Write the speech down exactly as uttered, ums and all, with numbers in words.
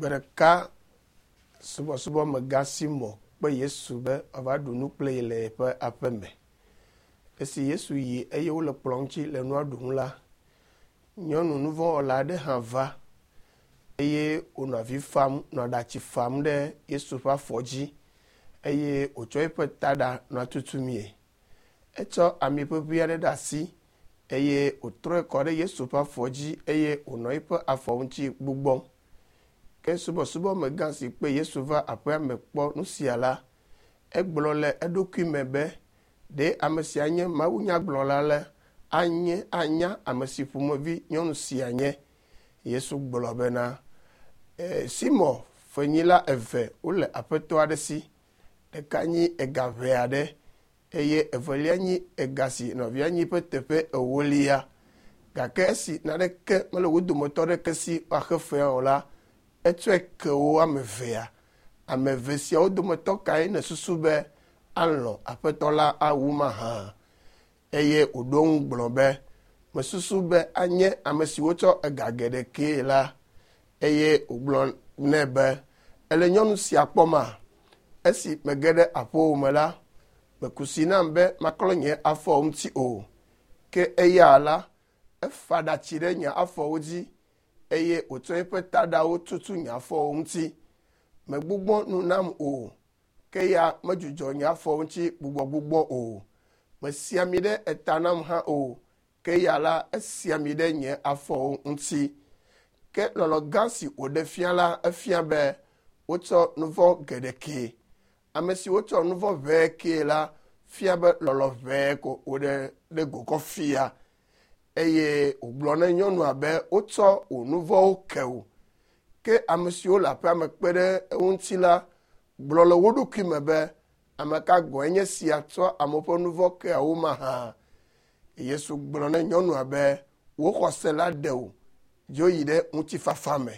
Gbe ɖeka subɔsubɔmegã Simɔ kpe Yesu be wòava ɖu nu kple ye le yeƒe aƒe me. Esi Yesu yi eye wole kplɔ ŋuti le nua ɖum la, nyɔnu nuvɔ̃wɔla aɖe hã va eye wònɔ avi fam nɔ aɖatsi fam ɖe Yesu ƒe afɔ dzi eye wòtsɔ eƒe taɖa nɔ tutumie. Etsɔ ami ʋeʋĩ aɖe ɖe asi eye wòtrɔe kɔ ɖe Yesu ƒe afɔ dzi eye wònɔ eƒe afɔ ŋuti gbugbɔm. Ke subɔsubɔmegã si kpe Yesu va aƒea me kpɔ nu sia la, egblɔ le eɖokui me be, ɖe ame sia nye mawunyagblɔla la anye anya ame si ƒomevi nyɔnu sia nye. Yesu gblɔ bena, e, Simɔ fenyila eve wole aƒetɔ aɖe si. Ɖeka nyi ega ʋɛ aɖe eye evelia nyi ega si nɔvia nyi ƒe teƒe ewolia. Gake esi naneke mele wo dometɔ ɖeke si woaxe fea o la, etsɔe ke wo ame evea. Ame eve siawo dometɔ kae nèsusu be alɔ̃ aƒetɔ la awu mahã? Eye wòɖo eŋu gblɔ be, mesusu be anye ame si wotsɔ ega geɖe kee la. Eye wògblɔ nɛ be, ele nyɔnu sia kpɔma? Esi mege ɖe aƒewò me la, meku si nam be maklɔ nye afɔwo ŋuti o. Ke eya la, efa ɖatsi ɖe nye afɔwo dzi eye wòtsɔ eƒe taɖawo tutu nye afɔwo ŋuti. Megbugbɔ nu nam o, ke ya medzudzɔ nye afɔwo ŋuti gbugbɔgbugbɔ o. Mesi ami ɖe eta nam hã o, ke ya la, esi ami ɖe nye afɔwo ŋuti. Ke lɔlɔ̃ gã si wòɖe fia la, efia be wotsɔ nu vɔ̃ geɖe kee. Ame si wotsɔ nu vɔ̃ ʋɛe kee la fia be lɔlɔ̃ ʋɛe ko wòɖe ɖe go kɔ fia. Eye wògblɔ na nyɔnua be wotsɔ wò nu vɔ̃wo ke wò. Ke ame siwo le aƒea me kpe ɖe eŋuti la gblɔ le wo ɖokui me be ame ka gɔ̃e nye sia tsɔ amewo ƒe nu vɔ̃ kea wo mahã. Yesu gblɔ na nyɔnua be wò xɔse la ɖe wò, dzo yi ɖe ŋutifafa me.